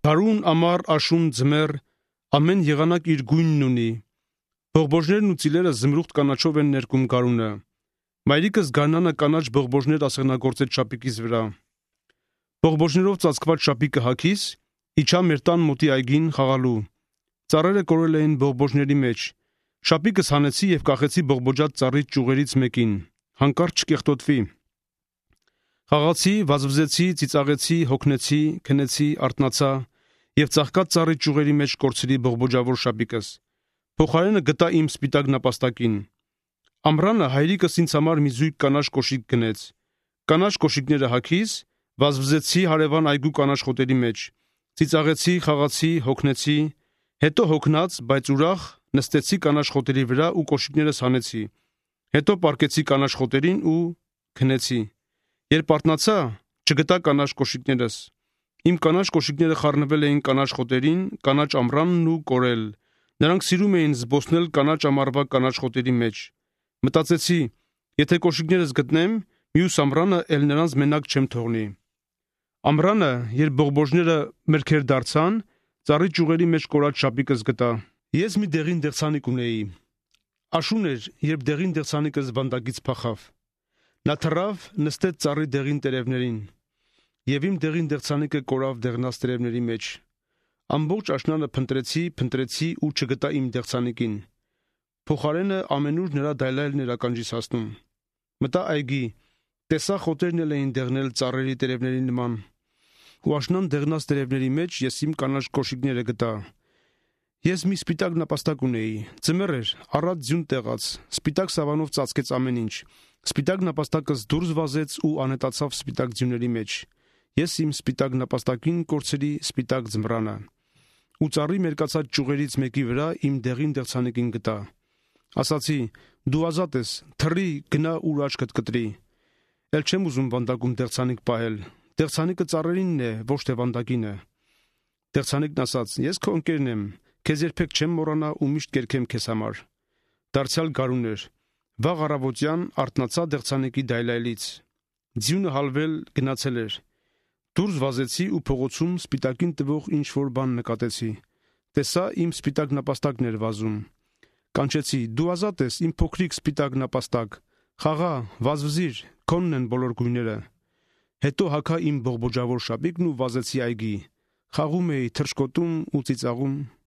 Հարուն, ամառ, աշուն, ձմեռ, ամեն եղանակ իր գույնն ունի։ Բողբոջներն ու ծիլերը զմրուխտ կանաչով են ներկում գարունը։ Մայրիկս գարնանը կանաչ բողբոջներ ասեղնագործեց շապիկիս վրա։ Բողբոջներով ծածկված շապիկը հագիս, իջա մեր տան մոտի այգին խաղալու։ Ծառերը կորել էին բողբոջների մեջ։ Շապիկս հանեցի եւ կախեցի բողբոջած ծառի ճյուղերից մեկին, հանկարծ չկեղտոտվի։ Խաղացի, վազվզեցի, ծիծաղեցի, հոգնեցի, քնեցի, արթնացա եւ ծաղկած ծառի ճյուղերի մեջ կորցրի բողբոջավոր շապիկս։ Փոխարենը գտա իմ սպիտակ նապաստակին։ Ամռանը հայրիկս ինձ համար մի զույգ կանաչ կոշիկ գնեց։ Կանաչ կոշիկները հագիս, վազվզեցի հարևան այգու կանաչ խոտերի մեջ։ Ծիծաղեցի, խաղացի, հոգնեցի, հետո հոգնած, բայց ուրախ նստեցի կանաչ խոտերի վրա ու կոշիկներս հանեցի։ Հետո պառկեցի կանաչ խոտերին ու քնեցի։ Երբ արթնացա, չգտա կանաչ կոշիկներս։ Իմ կանաչ կոշիկները խառնվել էին կանաչ խոտերին, կանաչ ամռանն ու կորել։ Նրանք սիրում էին զբոսնել կանաչ ամառվա կանաչ խոտերի մեջ։ Մտածեցի, եթե կոշիկներս գտնեմ, մյուս ամռանը էլ նրանց մենակ չեմ թողնի։ Ամռանը, երբ բողբոջները մրգեր դարձան, ծառի ճյուղերի մեջ կորած շապիկս գտա։ Ես մի դեղին դեղցանիկ ունեի։ Աշուն էր, երբ դեղին դեղցանիկս վանդակից փախավ։ Նա թռավ, նստեց ծառի դեղին տերևներին, եւ իմ դեղին դեղցանիկը կորավ դեղնած տերևների մեջ։ Ամբողջ աշնանը փնտրեցի ու չգտա իմ դեղցանիկին։ Փոխարենը ամենուր նրա դայլայլն էր ականջիս հասնում։ Մտա այգի, տեսա խոտերն էլ էին դեղնել ծառերի տերևների նման։ Ու աշնան դեղնած տերևների մեջ ես իմ կանաչ կոշիկները գտա։ Ես մի սպիտակ նապաստակ ունեի, ձմեռ էր, առատ ձյուն տեղաց, սպիտակ սավանով ծածկեց ամեն ինչ։ Սպիտակ նապաստակս դուրս վազեց ու անհետացավ սպիտակ ձյուների մեջ։ Ես իմ սպիտակ նապաստակին կորցրի սպիտակ ձմռանը։ Ու ծառի մերկացած ճյուղերից մեկի վրա իմ դեղին դեղցանիկին գտա։ Ասացի, դու ազատ ես, թռի, գնա ուր աչքդ կտրի։ Էլ չեմ ուզում վանդակում դեղցանիկ պահել։ Դեղցանիկը ծառերինն է, ոչ թե վանդակինը։ Դեղցանիկն ասաց, ես քո ընկերն եմ, քեզ երբեք չեմ մոռանա ու միշտ կերքեմ քեզ համար։ Դարձյալ գարուն էր։ Վաղ առավոտյան արթնացա դեղցանիկի դայլայլից։ Ձյունը հալվել գնացել էր։ Դուրս վազեցի ու փողոցում սպիտակին տվող ինչ-որ բան նկատեցի։ Տեսա իմ սպիտակ նապաստակն էր վազում։ Կանչեցի, դու ազատ ես, իմ փոքրիկ սպիտակ նապաստակ։ Խաղա, վազվզիր, քոնն են բոլոր գույները։ Հետո հագա իմ բողբոջավոր շապիկն ու վազեցի այգի։ Խաղում էի, թռչկոտում ու ծիծաղում։